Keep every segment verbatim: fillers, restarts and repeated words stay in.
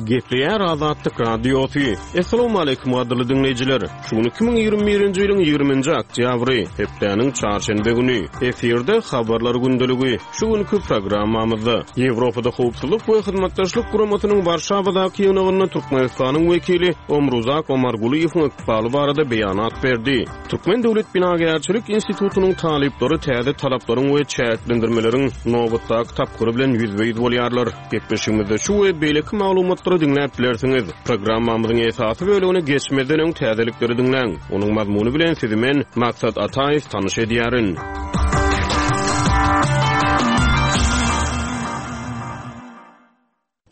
Gepleýär Azatlyk Radiosy. Assalamualaikum gadyrly diňleýjiler. Şu gün iki müň ýigrimi birinji ýylyň ýigriminji oktýabry, hepdäniň çarşenbe güni. Efirde habarlar gündeligi. Şu günki programmamyzda Ýewropada howpsuzlyk we hyzmatdaşlyk guramasynyň Warşawadaky ýygnagynda Türkmenistanyň wekili Omruzak Omargulyýewiň ykbaly barada beýanat berdi. Türkmen Döwlet Binagärçilik institutynyň talyplary täze talaplaryň we çäklendirmeleriň nobatdaky tapgyry bilen ýüzbe-ýüz bolýarlar. Gepleşigimizde şu we beýleki maglumatlary diňläp bilersiňiz. Programmamyzyň esasy bölümine geçmezden öň täzelikleri diňläň. Onuň mazmuny bilen sizi men Maksat Ataýew tanyş edýärin.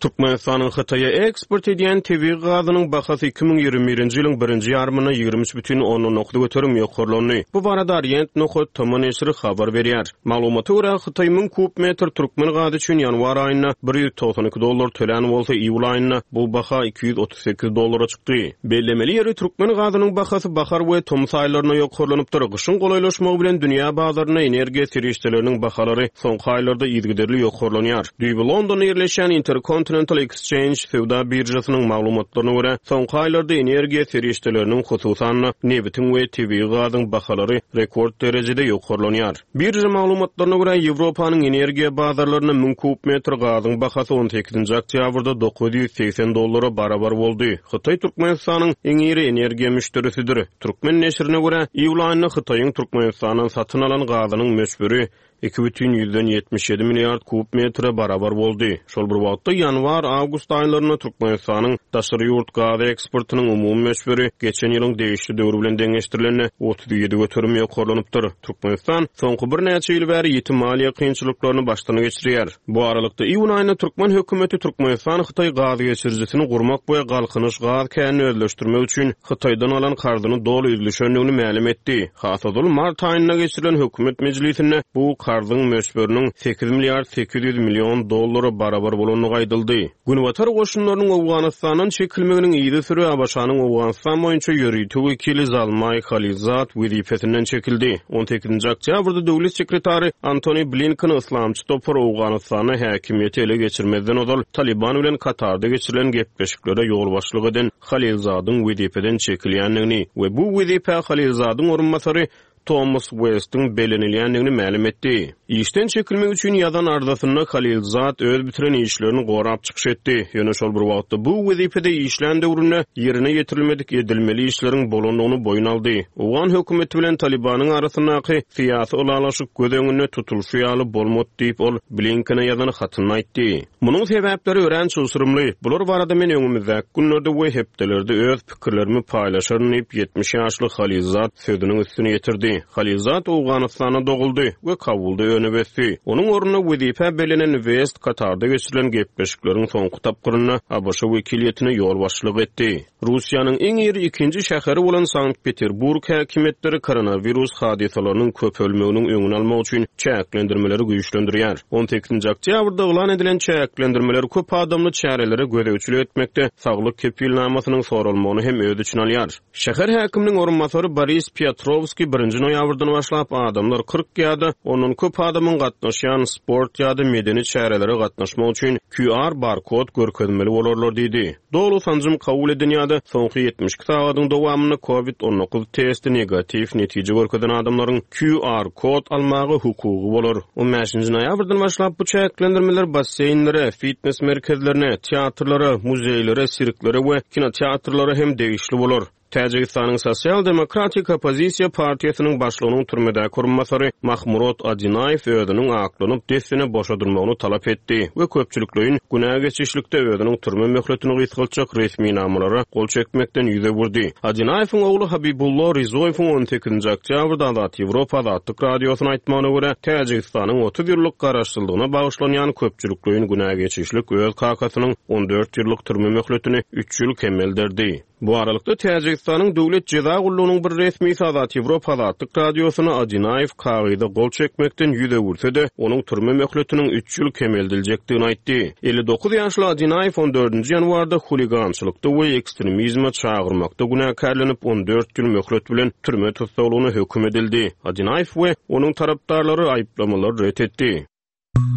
Türkmenistanyň Hytaýa eksport edýän tebigy gazynyň bahasy iki müň ýigrimi birinji ýylyň birinji ýarymynda ýigrimi üç bütin ondan dokuz göterim ýokarlandy. Bu barada Orient nokat T M neşiri habar berýär. Maglumata görä, Hytaý müň kub metr türkmen gazy üçin ýanwar aýynda bir ýüz togsan iki dollar tölän bolsa, iýul aýynda bu baha iki ýüz otuz sekiz dollara çykdy. Bellemeli ýeri, türkmen gazynyň bahasy bahar we tomus aýlarynda ýokarlanypdyr. Gyşyň golaýlaşmagy bilen dünýä bazarynda energiýa serişdeleriniň bahalary soňky aýlarda yzygiderli ýokarlanýar. Düýbi Londonda ýerleşýän Intercontinental Exchange söwda birjasynyň maglumatlaryna görä, soňky aýlarda energiýa serişdeleriniň, hususan-da nebitiň we tebigy gazyň bahalary rekord derejede ýokarlanýar. Birja maglumatlaryna görä, Ýewropanyň energiýa bazarlarynda müň kub metr gazyň bahasy on sekizinji oktýabrda dokuz ýüz segsen dollara barabar boldy. Hytaý Türkmenistanyň iň iri energiýa müşderisidir. Türkmen neşirine görä, iýul aýynda Hytaýyň Türkmenistandan satyn alan gazynyň möçberi iki bütin ýüzden ýetmiş ýedi milliard kub metre barabar boldy. Şol bir wagtda ýanwar-awgust aýlarynda Türkmenistanyň daşary ýurt gaz eksportynyň umumy möçberi geçen ýylyň degişli döwri bilen deňeşdirilende otuz ýedi göterim ýokarlanypdyr. Türkmenistan soňky birnäçe ýyl bäri ýiti maliýe kynçylyklaryny başdan geçirýär. Bu aralykda iýun aýynda türkmen hökümeti Türkmenistan Hytaý gaz geçirijisini gurmak we Galkynyş gaz känini özleşdirmek üçin Hytaýdan alan karzyny doly üzlüşendigini mälim etdi. Hasazul mart aýynda geçirilen hökümet mejlisinde bu karzyň möçberiniň sekiz milliard sekiz ýüz million dollara barabar bolandygy aýdyldy. Günbatar goşunlarynyň Owganystandan çekilmeginiň ýygy süre ABŞ-nyň Owganystan boýunça ýörite wekili Zalmay Khalilzad wezipesinden çekildi. on sekizinji oktýabrda döwlet sekretary Antony Blinken Islamçy topar Owganystanda häkimiýeti ele geçirmezden ozal Taliban bilen Katarda geçirilen gepleşiklere ýolbaşçylyk eden Khalilzadyň wezipeden çekilýändigini we bu wezipe Khalilzadyň orunbasary Thomas West'in bellenilýändigini mälim etdi. Işden çekilmek üçin ýazan arzasynda Khalilzad öz bitiren işlerini gorap çykyş etdi. Ýöne şol bir wagtda bu wezipede işlän döwründe ýerine ýetirilmedik edilmeli işleriň bolandygyny boýun aldy. Owgan hökümeti bilen Talibanyň arasyndaky syýasy ylalaşyk göz öňünde tutulşy ýaly bolmady diýip ol Blinkene ýazan hatyny aýtdy. Munuň sebäpleri örän çylşyrymly. Bular barada men öňümizdäki günlerde we hepdelerde öz pikirlerimi paýlaşaryn diýip ýetmiş ýaşly Khalilzad sözüniň üstüne ýetirdi. Khalilzad Owganystana doguldy we Kabulda önüp ösdi. Onuň ornuna wezipe bellenen West Katarda geçirilen gepleşikleriň soňky tapgyrynda ABŞ wekiliýetine ýolbaşçylyk etdi. Russiýanyň iň iri ikinji şäheri bolan Sankt Peterburg häkimiýetleri koronawirus hadysalarynyň köpelmeginiň öňüni almak üçin çäklendirmeleri güýçlendirýär. on sekizinji oktýabrda yglan edilen çäklendirmeler köp adamly çärelere gözegçilik etmekde saglyk kepilnamasynyň soralmagyny hem öz içine alýar. Şäher häkiminiň orunbasary Boris Piotrowski birinji noýabrdan başlap adamlar kyrk ýa-da ondan köp adamyň gatnaşýan sport ýa-da medeni çärelere gatnaşmak üçin Q R barkod görkezmeli bolarlar diýdi. Dolu sanjym kabul eden ýa-da soňky ýetmiş iki sagadyň dowamynda COVID on dokuz testi negatiw netije görkezen adamlaryň Q R kod almaga hukugy bolar. on bäşinji noýabrdan başlap bu çäklendirmeler basseýnlere, fitness merkezlerine, teatrlara, muzeýlere, sirklere we kinoteatrlara hem degişli bolar. Täjigistanyň Sosial Demokratik Oppozisiýa Partiýasynyň başlygynyň türmedäki orunbasary Mahmurot Adinaýew özüniň aklanyp dessine boşadylmagyny talap etdi we köpçülikleýin günä geçişlikde özüniň türme möhletini gysgaltjak resminamalara gol çekmekden ýüz öwürdi. Adinaýewiň ogly Habibullo Rizoýewiň on sekizinji oktýabrda Azat Ýewropa Azatlyk Radiosyna aýtmagyna görä, Täjigistanyň otuz ýyllyk garaşsyzlygyna bagyşlanýan köpçülikleýin günä geçişlik öz kakasynyň on dört ýyllyk türme möhletini üç ýyl kemelderdi. Bu aralykda Täjigistanyň Döwlet Jeza Gullugynyň bir resmi Azat Ýewropa Azatlyk Radiosyna Adinaýew kagyza gol çekmekden ýüz öwürse-de, onuň türme möhletiniň üç ýyl kemeldiljekdigini aýtdy. Elli dokuz ýaşly Adinaýew on dördünji ýanwarda huligançylykda we ekstremizme çagyrmakda günäkärlenip on dört ýyl möhlet bilen türme tussaglygyna höküm edildi. Adinaýew we onuň tarapdarlary aýyplamalary ret etdi.